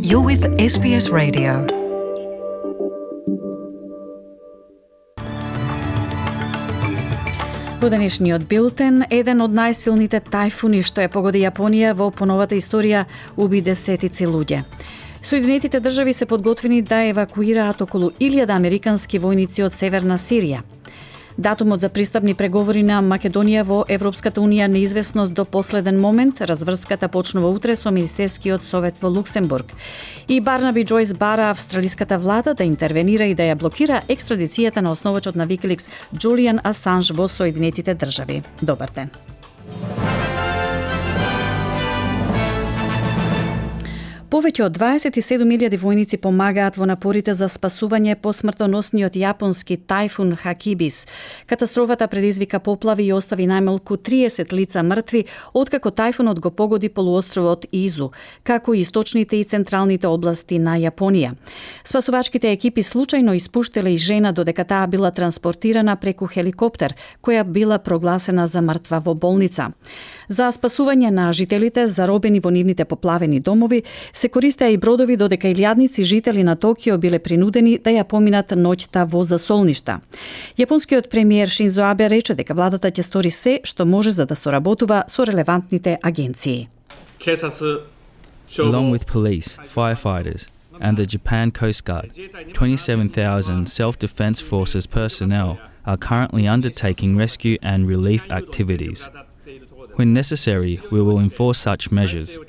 You're with SBS Radio. Во денешниот билтен, еден од најсилните тајфуни што ја погоди Јапонија во поновата историја уби десетици луѓе. Соединетите држави се подготвени да евакуираат околу 1000 американски војници од Северна Сирија. Датумот за пристапни преговори на Македонија во Европската унија неизвестност до последен момент. Разврската почнува утре со Министерскиот совет во Луксембург. И Барнаби Джойс бара австралиската влада да интервенира и да ја блокира екстрадицијата на основачот на Викиликс Џулијан Асанж во Соединетите држави. Добар ден. Повеќе од 27.000 војници помагаат во напорите за спасување по смртоносниот јапонски тајфун Хакибис. Катастрофата предизвика поплави и остави најмалку 30 лица мртви, откако тајфунот го погоди полуостровот Изу, како и источните и централните области на Јапонија. Спасувачките екипи случајно испуштиле и жена додека таа била транспортирана преку хеликоптер, која била прогласена за мртва во болница. За спасување на жителите заробени во нивните поплавени домови се користеа и бродови, додека илјадници жители на Токио биле принудени да ја поминат ноќта во засолништа. Јапонскиот премиер Шинзо Абе рече дека владата ќе стори се што може за да соработува со релевантните агенции. Along with police, firefighters, and the Japan Coast Guard, 27,000 self-defense forces personnel are currently undertaking rescue and relief activities. When necessary, we will enforce such measures.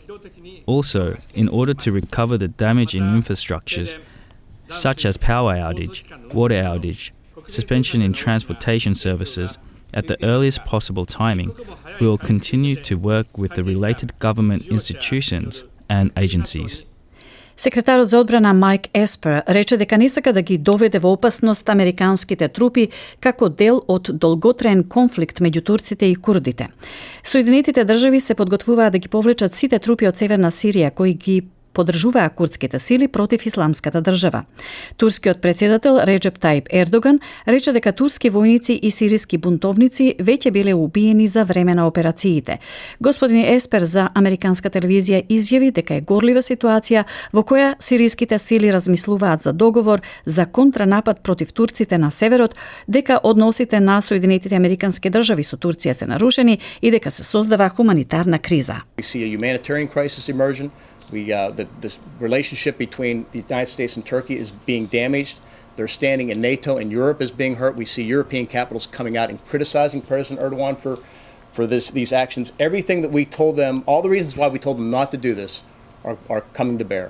Also, in order to recover the damage in infrastructures, such as power outage, water outage, suspension in transportation services, at the earliest possible timing, we will continue to work with the related government institutions and agencies. Секретарот за одбрана Майк Еспер рече дека не сака да ги доведе во опасност американските трупи како дел од долготраен конфликт меѓу турците и курдите. Соединетите држави се подготвуваат да ги повлечат сите трупи од Северна Сирија кои ги поддржуваа курдските сили против исламската држава. Турскиот претседател Реджеп Таип Ердоган рече дека турски војници и сириски бунтовници веќе биле убиени за време на операциите. Господин Еспер за американска телевизија изјави дека е горлива ситуација во која сириските сили размислуваат за договор за контранапад против турците на северот, дека односите на Соединетите американски држави со Турција се нарушени и дека се создава хуманитарна криза. This relationship between the United States and Turkey is being damaged. Their standing in NATO and Europe is being hurt. We see European capitals coming out and criticizing President Erdogan for these actions. Everything that we told them, all the reasons why we told them not to do this are coming to bear.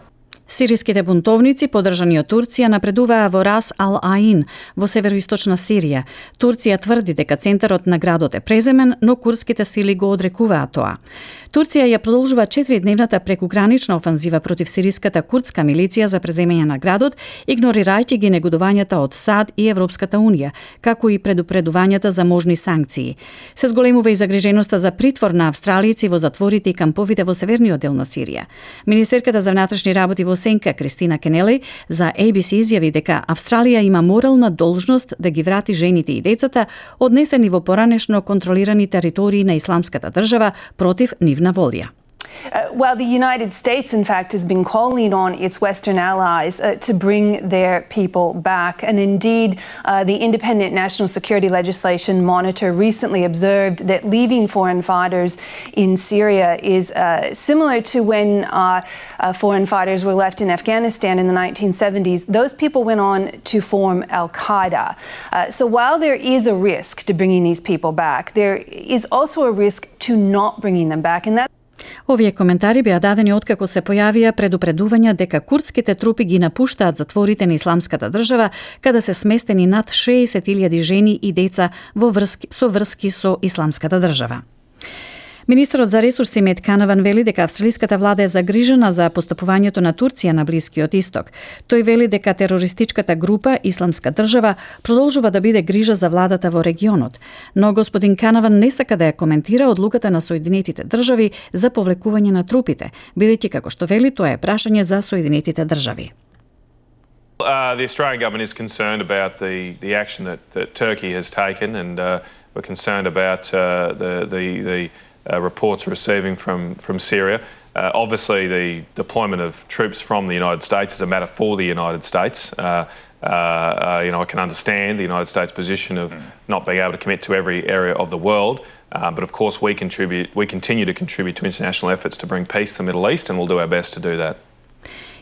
Сириските бунтовници, поддржани од Турција, напредуваа во Рас ал-Аин, во североисточна Сирија. Турција тврди дека центарот на градот е преземен, но курдските сили го одрекуваат тоа. Турција ја продолжува 4-дневната прекугранична офанзива против сириската курдска милиција за преземање на градот, игнорирајќи ги негодувањата од САД и Европската унија, како и предупредувањата за можни санкции. Се зголемува и загриженоста за притвор на австралијци во затворите и камповите во северниот дел на Сирија. Министерката за внатрешни работи во Сенка Кристина Кенели за ABC изјави дека Австралија има морална должност да ги врати жените и децата однесени во поранешно контролирани територии на исламската држава против нивна волја. Well, the United States, in fact, has been calling on its Western allies to bring their people back. And indeed, the Independent National Security Legislation Monitor recently observed that leaving foreign fighters in Syria is similar to when foreign fighters were left in Afghanistan in the 1970s. Those people went on to form Al-Qaeda. So while there is a risk to bringing these people back, there is also a risk to not bringing them back. And that Овие коментари беа дадени откако се појавија предупредувања дека курдските трупи ги напуштаат затворите на исламската држава, каде се сместени над 60.000 жени и деца со врски со исламската држава. Министерот за ресурси Мет Канаван вели дека австралиската влада е загрижена за постапувањето на Турција на Блискиот Исток. Тој вели дека терористичката група Исламска држава продолжува да биде грижа за владата во регионот. Но господин Канаван не сака да ја коментира одлуката на Соединетите држави за повлекување на трупите, бидејќи како што вели тоа е прашање за Соединетите држави. The Australian government is concerned about the action that Turkey has taken, and we're concerned about the reports receiving from Syria. Obviously, the deployment of troops from the United States is a matter for the United States. I can understand the United States' position of not being able to commit to every area of the world, but of course we continue to contribute to international efforts to bring peace to the Middle East, and we'll do our best to do that.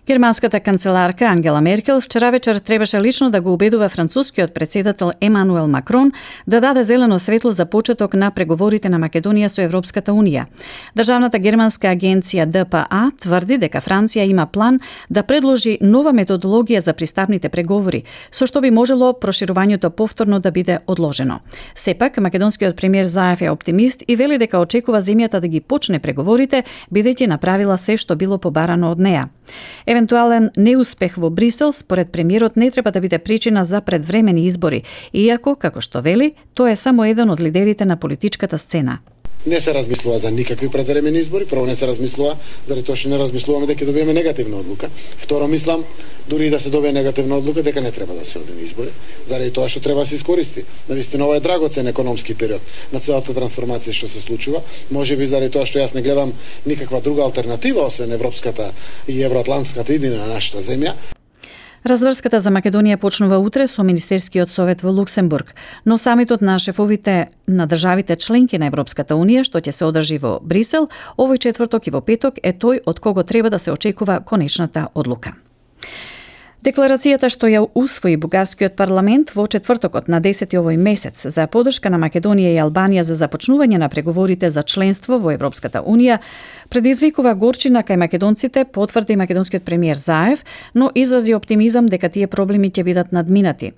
Германската канцеларка Ангела Меркел вчера вечер требаше лично да го убедува францускиот председател Емануел Макрон да даде зелено светло за почеток на преговорите на Македонија со Европската Унија. Државната германска агенција ДПА тврди дека Франција има план да предложи нова методологија за пристапните преговори, со што би можело проширувањето повторно да биде одложено. Сепак, македонскиот премиер Заев е оптимист и вели дека очекува земјата да ги почне преговорите, бидејќи направила се што било побарано од неа. Евентуален неуспех во Брисел, според премиерот, не треба да биде причина за предвремени избори, иако, како што вели, тој е само еден од лидерите на политичката сцена. Не се размислува за никакви предвремени избори. Прво, не се размислува заради тоа што не размислуваме дека добиеме негативна одлука. Второ, мислам, дури и да се добие негативна одлука, дека не треба да се оди на избори, заради тоа што треба да се искористи. Навистина, ова е драгоцен економски период на целата трансформација што се случува. Можеби заради тоа што јас не гледам никаква друга алтернатива освен европската и евроатлантската идеја на нашата земја. Разврската за Македонија почнува утре со Министерскиот совет во Луксембург, но самитот на шефовите на државите членки на Европската Унија, што ќе се одржи во Брисел, овој четврток и во петок, е тој од кого треба да се очекува конечната одлука. Декларацијата што ја усвои бугарскиот парламент во четвртокот на 10 овој месец за поддршка на Македонија и Албанија за започнување на преговорите за членство во Европската Унија предизвикува горчина кај македонците, потврди македонскиот премиер Заев, но изрази оптимизам дека тие проблеми ќе бидат надминати.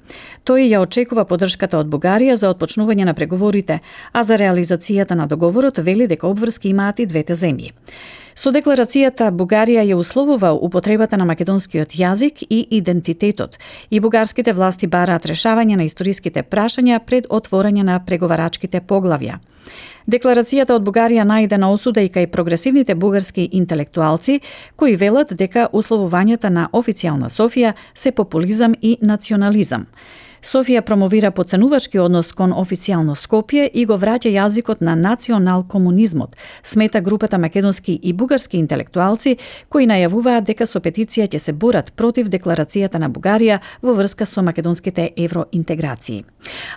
Тој ја очекува поддршката од Бугарија за отпочнување на преговорите, а за реализацијата на договорот вели дека обврски имаат и двете земји. Со декларацијата Бугарија ја условува употребата на македонскиот јазик и идентитетот, и бугарските власти бараат решавање на историските прашања пред отворање на преговарачките поглавја. Декларацијата од Бугарија најде на осуда и кај прогресивните бугарски интелектуалци, кои велат дека условувањата на официјална Софија се популизам и национализам. Софија промовира поценувачки однос кон официјално Скопје и го враќа јазикот на национал-комунизмот, смета групата македонски и бугарски интелектуалци кои најавуваат дека со петиција ќе се борат против декларацијата на Бугарија во врска со македонските евроинтеграции.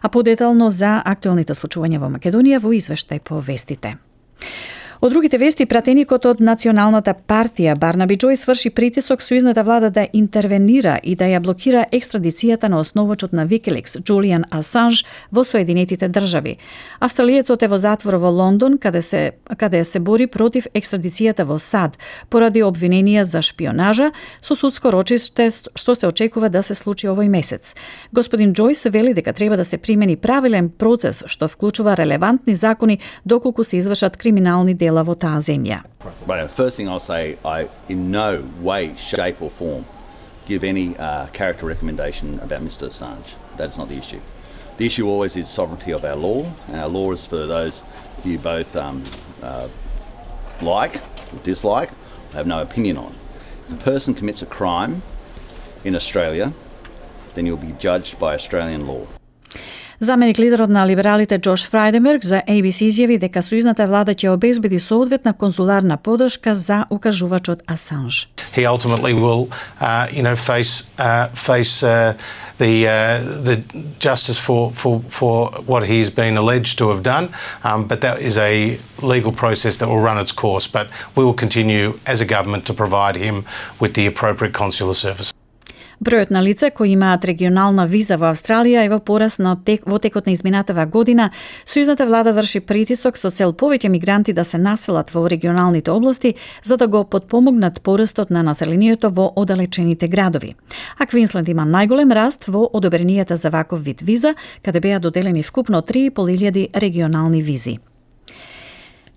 А подетално за актуелните случувања во Македонија во извештај по вестите. Од другите вести, пратеникот од Националната партија Барнаби Џојс врши притисок сојузната влада да интервенира и да ја блокира екстрадицијата на основачот на Викиликс Џулијан Асанж во Соединетите држави. Австралиецот е во затвор во Лондон, каде се бори против екстрадицијата во САД поради обвиненија за шпионажа со судско рочиште што се очекува да се случи овој месец. Господин Џојс вели дека треба да се примени правилен процес што вклучува релевантни закони доколку се извршат криминални дела во таа земја. But first thing I'll say, I in no way, shape or form give any character recommendation about Mr. Assange. That is not the issue. The issue always is sovereignty of our law, and our law is for those you both like or dislike, have no opinion on. If a person commits a crime in Australia, then you'll be judged by Australian law. Заменик лидерот на либералите Џош Фрајденберг за ABC изјави дека сојузната влада ќе обезбеди соодветна конзуларна поддршка за укажувачот Асанж. He ultimately will, face the justice for what he's been alleged to have done, but that is a legal process that will run its course. But we will continue as a government to provide him with the appropriate consular service. Бројот на лица кои имаат регионална виза во Австралија е во пораст во текот на изминатава година. Сојузната влада врши притисок со цел повеќе мигранти да се населат во регионалните области за да го потпомогнат порастот на населението во оддалечените градови. А Квинсленд има најголем раст во одобренијата за ваков вид виза, каде беа доделени вкупно 3.500 регионални визи.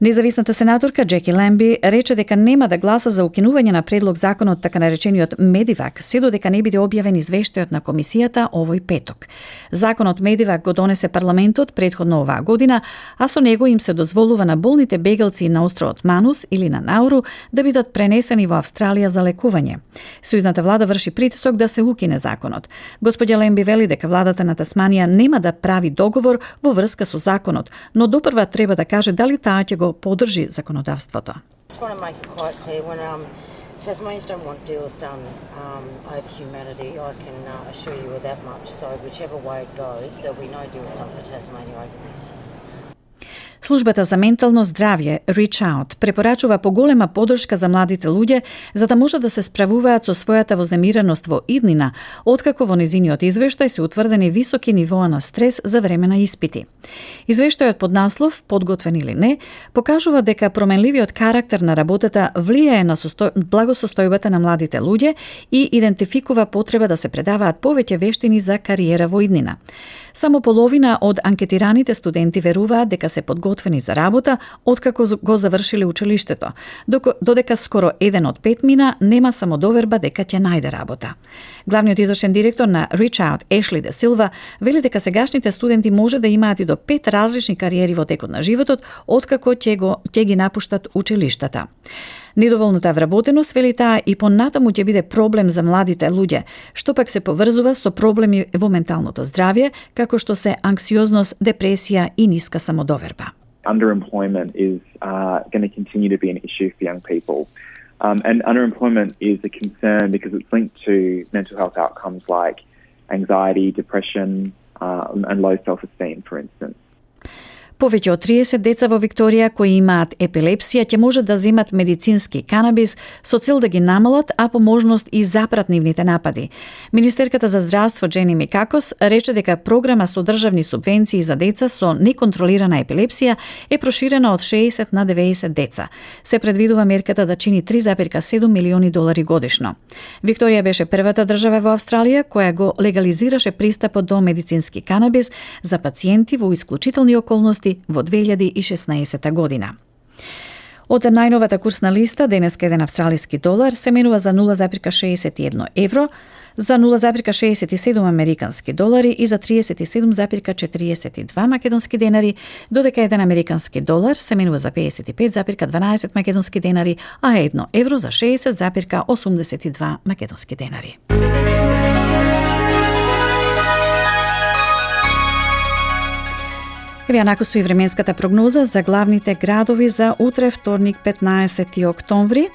Независната сенаторка Джеки Ламби рече дека нема да гласа за укинување на предлог законот така наречениот Медивак, се додека не биде објавен извештајот на комисијата овој петок. Законот Медивак го донесе парламентот претходно оваа година, а со него им се дозволува на болните бегалци на островот Манус или на Науру да бидат пренесени во Австралија за лекување. Сојузната влада врши притисок да се укине законот. Господја Ламби вели дека владата на Тасманија нема да прави договор во врска со законот, но допрва треба да каже дали таа ќе го поддржи законодавството. want to make it quite clear when Tasmanians don't want deals done over humanity. I can assure you of that much. So whichever way it goes, there'll be no deals done for Tasmania over this. Службата за ментално здравје Reach Out препорачува поголема поддршка за младите луѓе за да можат да се справуваат со својата вознемиреност во иднина, откако во незиниот извештај се утврдени високи нивоа на стрес за време на испити. Извештајот под наслов "Подготвен или не" покажува дека променливиот карактер на работата влијае на благосостојбата на младите луѓе и идентификува потреба да се предаваат повеќе вештини за кариера во иднина. Само половина од анкетираните студенти веруваат дека се подготвени за работа откако го завршиле училиштето, додека скоро 1 од 5 мина нема самодоверба дека ќе најде работа. Главниот извршен директор на Reach Out, Ешли Де Силва, вели дека сегашните студенти може да имаат и до 5 различни кариери во текот на животот откако ќе ги напуштат училиштата. Недоволната вработеност, вели таа, и понатаму ќе биде проблем за младите луѓе, што пак се поврзува со проблеми во менталното здравје, како што се анксиозност, депресија и ниска самодоверба. Underemployment is going to continue to be an issue for young people. And underemployment is a concern because it's linked to mental health outcomes like anxiety, depression, and low self-esteem, for instance. Повеќе од 30 деца во Викторија кои имаат епилепсија ќе можат да земат медицински канабис со цел да ги намалат, а по можност и запрат нивните напади. Министерката за здравство Джени Микакос рече дека програма со државни субвенции за деца со неконтролирана епилепсија е проширена од 60 на 90 деца. Се предвидува мерката да чини $3,7 милиони годишно. Викторија беше првата држава во Австралија која го легализираше пристапот до медицински канабис за пациенти во исклучителни околности во 2016 година. Од најновата курсна листа, денеска еден австралиски долар се менува за 0,61 евро, за 0,67 американски долари и за 37,42 македонски денари, додека еден американски долар се менува за 55,12 македонски денари, а 1 евро за 60,82 македонски денари. Еве накако со и временската прогноза за главните градови за утре, вторник, 15 октомври.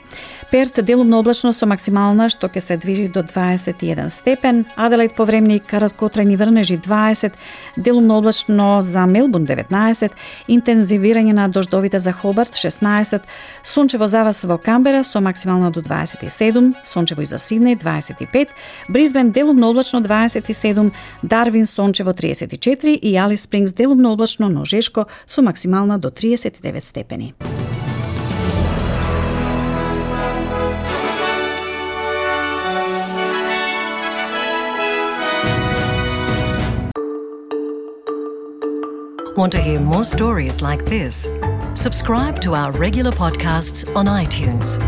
Перт делумно облачно со максимална што ќе се движи до 21 степен, Аделаид повремни краткотрајни врнежи 20, делумно облачно за Мелбурн 19, интензивирање на дождовите за Хобарт 16, сончево за вас во Камбера со максимална до 27, сончево и за Сиднеј 25, Брисбен делумно облачно 27, Дарвин сончево 34 и Алис Спрингс делумно облачно, но жешко со максимална до 39 степени. Want to hear more stories like this? Subscribe to our regular podcasts on iTunes.